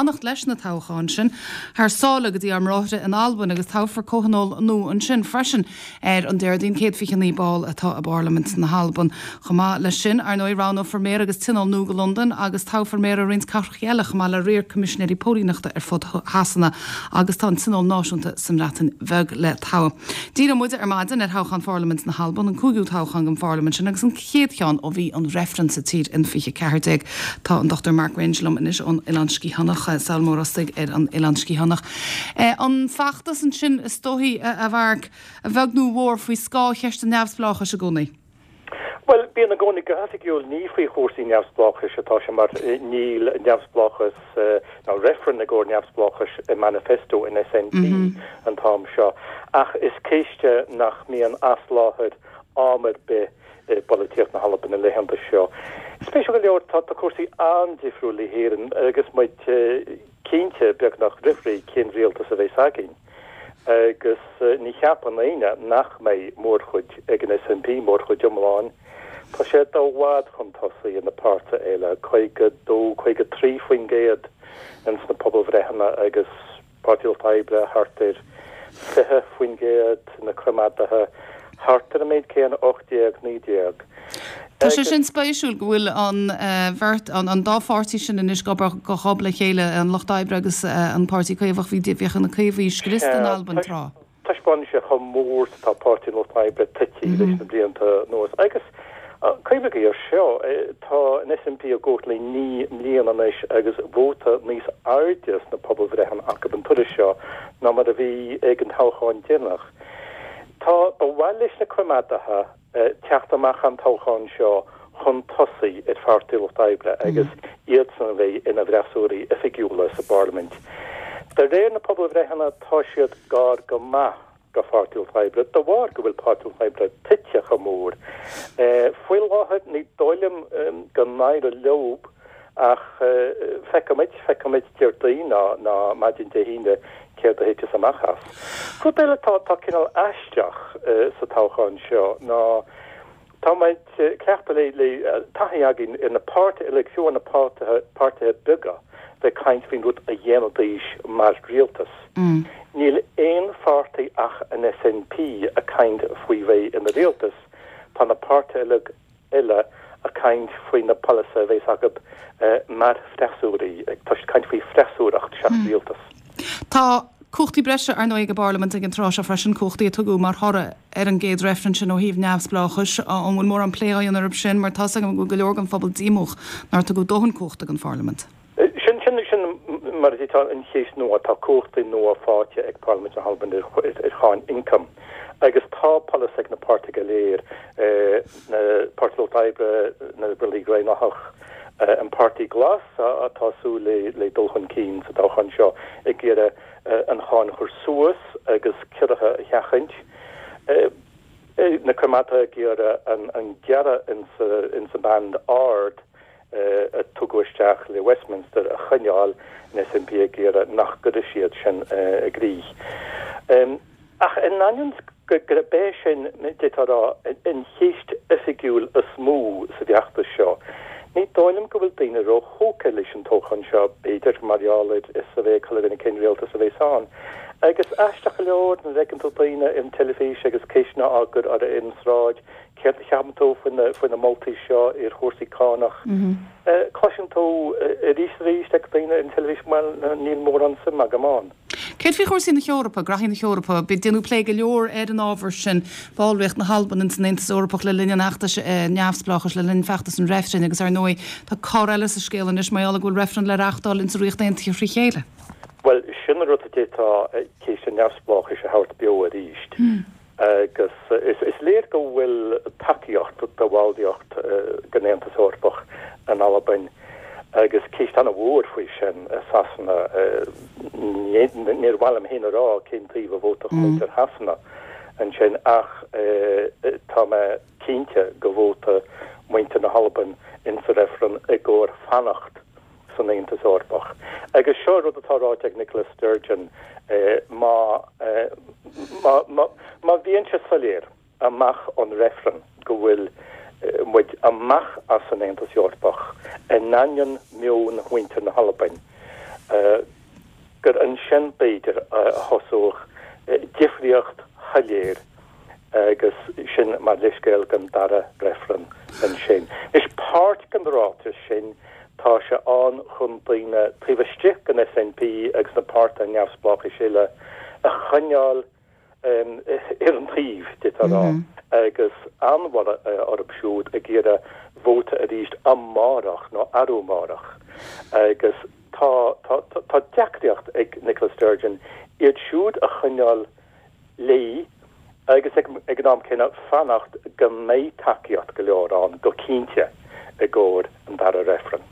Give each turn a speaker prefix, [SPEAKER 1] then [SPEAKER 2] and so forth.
[SPEAKER 1] fanacht leis na toghcháin sin thar sáile go dtí ár mbráithre in Albain agus toghfar comhthionól nua ansin freisin ar an Déardaoin. 129 ball atá i bParlaimint na hAlban. Chomh maith leis sin, ar ndóigh, roghnófar méara agus tionól nua go Londain agus toghfar méara roinnt cathracha eile chomh maith le riar coimisinéirí póilíneachta ar fud Shasana agus tá an tionól náisiúnta sa mBreatain Bheag le toghadh. Díreoidh muid ar maidin ar thoghchán Pharlaimint na hAlban, an cúigiú toghchán don pharlaimint sin agus an chéad cheann ó bhí an reifreann sa tír in 2014. Tá an Dr Mark Grange liom anois ón Oileán Sciathánach, Sabhal Mór Ostaig ar an Oileán Sciathánach. An feachtas ansin is dóichí, a Mhark, a bheag nó a mhór faoi scáth cheist an neamhspleáchais i gcónaí?
[SPEAKER 2] Bhuel, bíonn i gcónaí go hoifigiúil ní faoi chúrsaí neamhspleáchais atá sé mar níl neamhspleáchas ná reifreann i gcomhair neamhspleáchais i manifesto an SNP an t-am seo. Ach is ceist nach mbíonn as láthair am ar bith i bpolaitíocht na hAlban na laethanta seo. Spéisiúil go leor, tá cúrsaí an-difriúil le hÉirinn agus muid cinnte beagnach roimh ré cén rialtas a bheas againn. Agus ní cheapann éinne nach mbeidh mórchuid ag an SNP, mórchuid iomlán. Tá siad i bhfad chun tosaigh ar na páirtithe eile, 52, 53% ins na pobalbhreitheanna agus Páirtí Lucht Oibre thart ar 20%, na Coimeádaithe thart ar an méid céanna, 18, 19.
[SPEAKER 1] Tá sé sin spéisiúil go bhfuil an bheirt, an dá pháirtí sin anois ag obair go dlúth le chéile, an Lucht Oibre agus an Páirtí Caomhach. Bhí, bhíodh na Caomhaigh scriosta in Albain tráth.
[SPEAKER 2] Taispeánann sé chomh mór is atá Páirtí an Lucht Oibre tite leis na blianta anuas. Agus cuimhnigí air seo, tá an SNP i gcumhacht le 9 mbliana anois agus vóta níos airde sna pobalbhreitheanna acu an turas seo ná mar a bhí ag an toghchán deireanach. Tá, ba mhaith leis na Coimeádaithe teacht amach an toghchán seo chun tosaigh ar Pháirtí Lucht Oibre agus iadsan a bheidh ina bhfreasúraí oifigiúla sa bParlaimint. De réir na pobalbhreitheanna tá siad gar go maith do Pháirtí Lucht Oibre de bharr go bhfuil Páirtí Lucht Oibre tite chomh mór. Faoi láthair ní dóigh liom go n-éireoidh leo Ach feicfimid, feicfimid Déardaoin ná, ná maidin Dé hAoine céard a thiteas amach as. Rud eile atá, atá cineál aisteach sa toghchán seo ná tá muid cleachta le, le taithí againn ar na páirtithe uilig, fiú amháin na páirtithe, páirtithe beaga bheith ag caint faoin rud a dhéanfaidís mar rialtas. Níl aon pháirtí ach an SNP ag caint faoi bheith ina rialtas, tá na páirtithe uilig eile ag caint faoi na polasaithe a bheas acu mar freasúraí, ag caint faoi freasúracht seachas rialtas.
[SPEAKER 1] Tá cumhachtaí breise, ar ndóigh, ag an bParlaimint ag an tráth seo freisin, cumhachtaí a tugadh mar thoradh ar an gcéad reifreann sin ó thaobh neamhspleáchais. An bhfuil mórán plé á dhéanamh orthu sin? Mar tá's agam go bhfuil go leor den phobal díomách nár tugadh dóthain cumhachta don Pharlaimint.
[SPEAKER 2] Sin, sin, sin mar a déarfá an cheist nua. Tá cumhachtaí nua faighte ag Parlaimint na hAlban ar, ar cháin ioncaim agus tá polasaithe ag na páirtithe go léir, na Páirtí Lucht Oibre, na Liobrallaigh Dhaonlathach, an Páirtí Glas atá ag súil le, le dul chun cinn sa toghchán seo ag iarraidh an cháin a chur suas agus ciorruithe a sheachaint. Na Coimeádaithe ag iarraidh an, an gearradh insa, insa band ard a tugadh isteach le Westminster a choinneáil, an SNP ag iarraidh nach gcuirfidh siad sin i gcrích. Ach in ainneoin gurb é sin, d'fhéadfá a rá, an cheist oifigiúil is mó sa bhfeachtas seo, ní dóigh liom go bhfuil daoine róthógtha leis an toghchán seo, b'fhéidir mar gheall ar fhios a bheith ag chuile dhuine cén rialtas a bheas ann. Agus aisteach go leor, nuair a fheiceann tú daoine ar an teilifís agus ceisteanna á gcur orthu ar an sráid, Céard a cheapann tú faoi na moltaí seo ar chúrsaí cánach? Cloiseann tú arís is arís ag daoine ar an teilifís, bhuel, níl mórán suim agam ann.
[SPEAKER 1] Céard faoi chúrsaí na hEorpa, graithí na hEorpa? Déanadh plé go leor ar an ábhar sin, ballraíocht na hAlban ins an Aontas Eorpach le linn an fheachtais neamhspleáchais, le linn feachtas an reifrinn agus ar ndóigh tá cor eile sa scéal anois mar gheall go bhfuil reifreann le reáchtáil ins an Ríocht Aontaithe thrí chéile.
[SPEAKER 2] Bhuel, sin an rud a d'fhéadfadh ceist an neamhspleáchais a thabhairt beo arís. Agus is léir go bhfuil tacaíocht do bhallraíocht den Aontas Eorpach in Albain agus ceist an-mhór faoi sin i Sasana. Níor mhaith liom féin a rá cén taobh a vótafadh muintir Shasana ansin ach tá mé cinnte go vótfaidh muintir na hAlban insa reifreann i gcomhair fanacht san Aontas Eorpach. Agus seo rud atá ráite ag Nicola Sturgeon, má, má, má, má bhíonn sé soiléir amach ón reifreann go bhfuil muid amach as an Aontas Eorpach in ainneoin meon mhuintir na hAlbain. Gur ansin, b'fhéidir, a thosódh difríocht shoiléir agus sin mar leithscéal don dara reifreann ansin. Anois, páirt den ráiteas sin, tá sé ann chun daoine taobh istigh den SNP agus na páirtithe neamhspleáchais eile a choinneáil ar an taobh, d'fhéadfá a rá, agus an-bhorradh orthu siúd ag iarraidh vóta arís amárach nó arú amárach. Agus tá, tá, tá deacraíocht ag Nicola Sturgeon iad siúd a choinneáil léi agus ag an am céanna fanacht go mbeidh tacaíocht go leor ann go cinnte i gcomhair an dara reifreann.